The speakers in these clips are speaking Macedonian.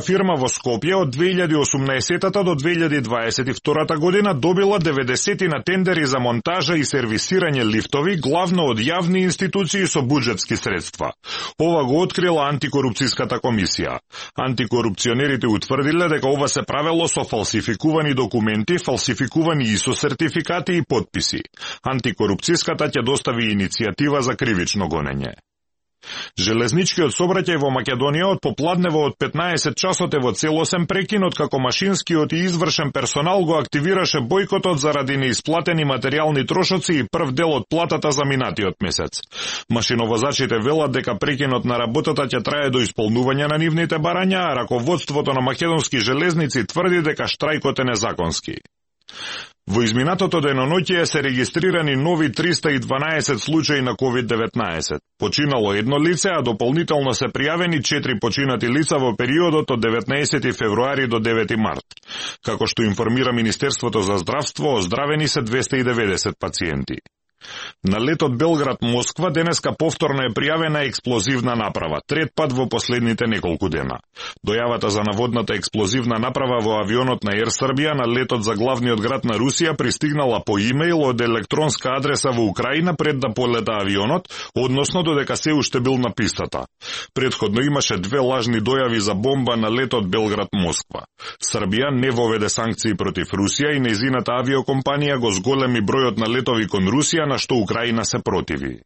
фирма во Скопје од 2018 до 2022 година добила 90 на тендери за монтажа и сервисирање лифтови, главно од јавни институции со буџетски средства. Ова го открила антикорупцијската комисија. Антикорупционерите утврдиле дека ова се правело со фалсификувани документи, фалсификувани ИСО сертификати и подписи. Антикорупцијската ќе достави иницијатива за кривично гонење. Железничкиот сообраќај во Македонија од попладнево од 15 часот е во целосен прекинот како машинскиот и извршен персонал го активираше бојкотот заради неисплатени материјални трошоци и прв дел од платата за минатиот месец. Машиновозачите велат дека прекинот на работата ќе трае до исполнување на нивните барања, а раководството на македонски железници тврди дека штрајкот е незаконски. Во изминатото деноноќе се регистрирани нови 312 случаи на COVID-19. Починало едно лице, а дополнително се пријавени 4 починати лица во периодот од 19 февруари до 9 март. Како што информира Министерството за здравство, оздравени се 290 пациенти. На летот Белград-Москва денеска повторно е пријавена експлозивна направа, трет пат во последните неколку дена. Дојавата за наводната експлозивна направа во авионот на Ер Србија на летот за главниот град на Русија пристигнала по имејл од електронска адреса во Украина пред да полета авионот, односно додека се уште бил на пистата. Предходно имаше две лажни дојави за бомба на летот Белград-Москва. Србија не воведе санкции против Русија и нејзината авиокомпанија го зголеми бројот на летови кон Русија, на што Украина се противи.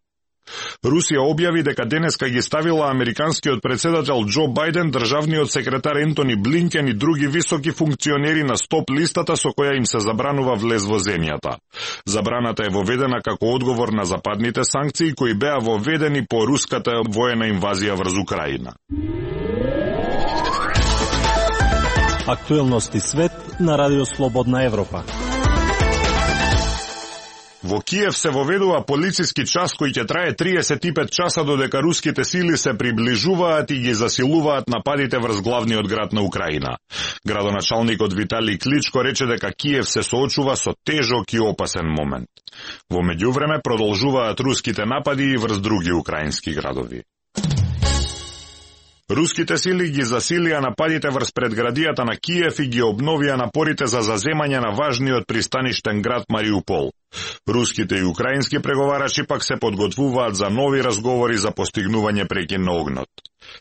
Русија објави дека денеска ги ставила американскиот председател Џо Бајден, државниот секретар Ентони Блинкен и други високи функционери на стоп листата со која им се забранува влез во земјата. Забраната е воведена како одговор на западните санкции кои беа воведени по руската воена инвазија врз Украина. Актуелности свет на Радио Слободна Европа. Во Киев се воведува полициски час кој ќе трае 35 часа додека руските сили се приближуваат и ги засилуваат нападите врз главниот град на Украина. Градоначалникот Виталий Кличко рече дека Киев се соочува со тежок и опасен момент. Во меѓувреме продолжуваат руските напади и врз други украински градови. Руските сили ги засилија нападите врз предградијата на Киев и ги обновија напорите за заземање на важниот пристаништен град Мариупол. Руските и украински преговарачи пак се подготвуваат за нови разговори за постигнување прекин на огнот.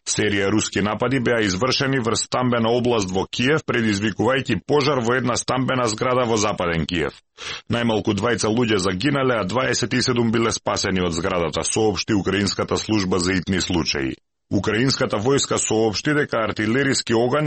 Серија руски напади беа извршени врз стамбена област во Киев, предизвикувајќи пожар во една стамбена зграда во западен Киев. Најмалку 20 луѓе загинале, а 27 биле спасени од зградата, соопшти украинската служба за итни случаи. Украинската војска соопшти дека артилериски оган